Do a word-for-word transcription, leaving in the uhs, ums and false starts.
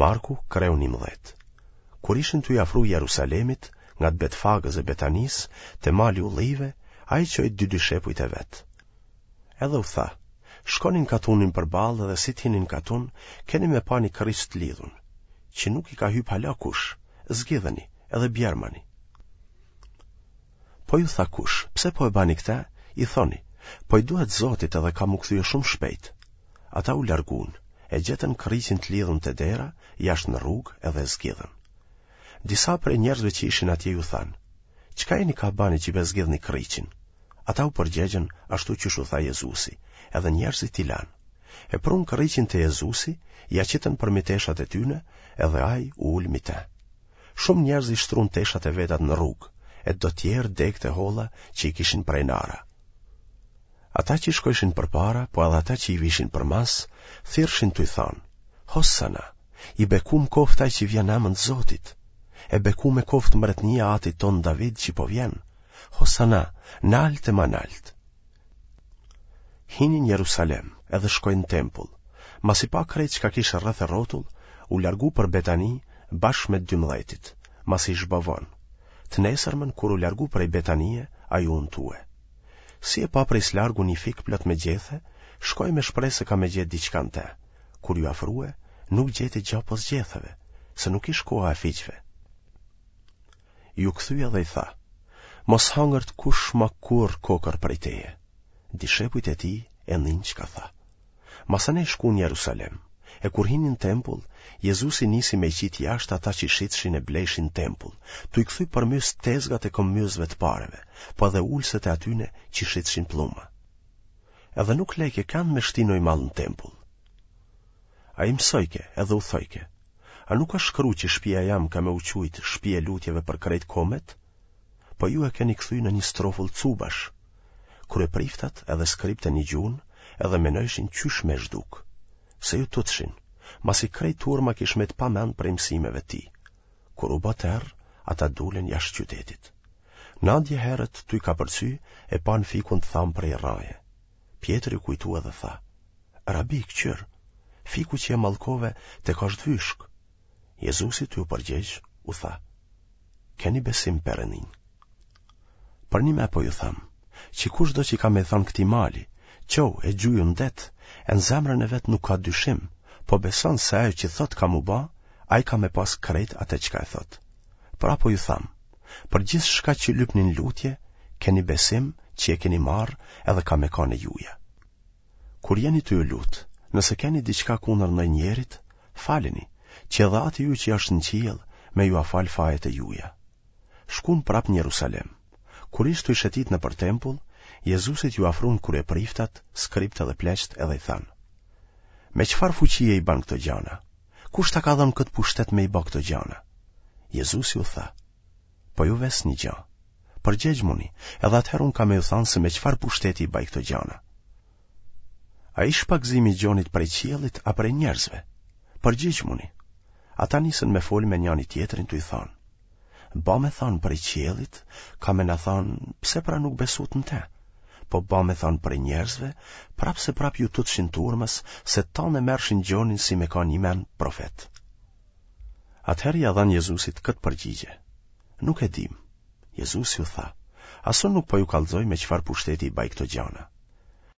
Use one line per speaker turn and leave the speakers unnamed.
Marku, kreu njëmbëdhjetë. Kur ishin tuj afru Jerusalemit, ngat Betfagës e Betanisë, te mali Ullive, ai çoi dy dishepujt e vet. Edhe u tha, shkoni në katunin përballë dhe si të hini në katun, keni me pa një kërriq të lidhun, që nuk i ka hyp hala kush, zgidheni edhe bjermani. Po ju tha kush, pse po e bani këte, i thoni, po i duhet Zotit edhe ka m'u kthye shumë shpejt. Ata u largun, e gjetën kërriqin të lidhun te dera, jashtë në rrugë edhe e zgidhën. Disa prej njerëzve që ishin atje ju thanë, Çka jeni ka bani që pe zgidhni kërriqin? Ata u përgjegjën ashtu qysh u tha Jezusi, edhe njerëzit i lanë. E prunë kërriqin te Jezusi, ia qitën përmi teshat e tyne, edhe ai u ul mi te. Shumë njerëz i shtrun teshat e vetat në rrugë, e do tjerë degët e holla që i kishin pre n'ara. Ata që shkojshin përpara, po edhe ata që i vishin përmas, thirrshin tuj thanë, Hosana, i bekum koftë ai që vjen n'emën të Zotit, e bekume koftë mbretnia e atit tonë David që po vjen, Hosana, nalt e ma nalt. Hini në Jerusalem edhe shkoi në tempull, masi pa krejt çka kish rreth e rrotull, u largu për Betani bashkë me të dymbëdhjetit, masi ish ba vonë. Të nesërmen kur u largu prej Betanie, ai u untue. Si e pa prej s'largu një fik plot me gjethe, shkoi me shpresë se ka me gjetë diçka në te. Kur ju afrue, nuk gjeti gja pos gjetheve, se nuk ish koha e fiqve. Ju kthye dhe i tha, mos hangërt kush ma kurrë kokërr prej teje. Dishepujt e tij e ninë çka tha. Masanej shkun në Jerusalem, e kur hini në tempull, Jezusi nisi me i qitë jashtë ata që shitshin e blejshin në tempull, tuj kthy përmys tezgat e këmbyesve të pareve, po edhe ulëset e atyne që shitshin plluma. Edhe nuk lejke kend me shti noj mall në tempull. Ai mësojke edhe u thojke, a nuk asht shkru që shpia jem ka me u qujt shpi e lutjeve për krejt komet? Po ju e keni kthy në një strofull cubash. Kryepriftat edhe skribët e nigjun edhe menojshin qysh me zhduk. Se ju tutshin, masi krejt turma kish met pa mend prej mësimeve tij. Kur u bë terr, ata dulën jashtë qytetit. Nadje herët tuj kapërcy e panë fikun të thamë prej rraje. Pjetri u kujtu edhe tha, Rabi, këqyr, fiku që e mallkove tek është vyshk. Jezusi tuj u përgjegj, u tha, Keni besim n'Perëndinë. Përnime po ju tham, që kushdo që ka me thonë këtij mali, çohu e gjuju në det, e në zemrën e vet nuk ka dyshim, po beson se ajo që thot ka m'u ba, ai ka me pas krejt atë çka e thot. Pra po ju tham, për gjithçka që lypni në lutje, keni besim që e keni marrë edhe ka me kanë e juja. Kur jeni tuj u lut, nëse keni diçka kundër ndonjërit, faleni, që edhe ati juj që është në qiell, me jua fal fajet e juja. Shkun prap në Jerusalem. Kur ish tuj shetit nëpër tempull, Jezusit ju afrun kryepriftat, skribët edhe pleqtë edhe i thanë: Me çfarë fuqie i ban këto gjana? Kush ta ka dhënë këtë pushtet me i ba këto gjana? Jezusi u tha: Po ju ves një gja. Përgjegjmuni, edhe atëherë unë kam me ju thanë se me çfarë pushteti i baj këto gjana. A ish pagëzimi i Gjonit prej qiellit a prej njerëzve? Përgjigjmuni. Ata nisën me fol me njani tjetrin tuj thanë: Ba me thanë prej qiellit, ka me na thanë pse pra nuk besut në te? Po ba me thanë prej njerëzve, prapë se prapë ju tutshin turmës se tanë e merrshin Gjonin si me kanë njëmend profet. Atëherë ia dhanë Jezusit këtë përgjigje: Nuk e dim. Jezusi u tha: As unë nuk po ju kallxoj me çfarë pushteti i baj këto gjana.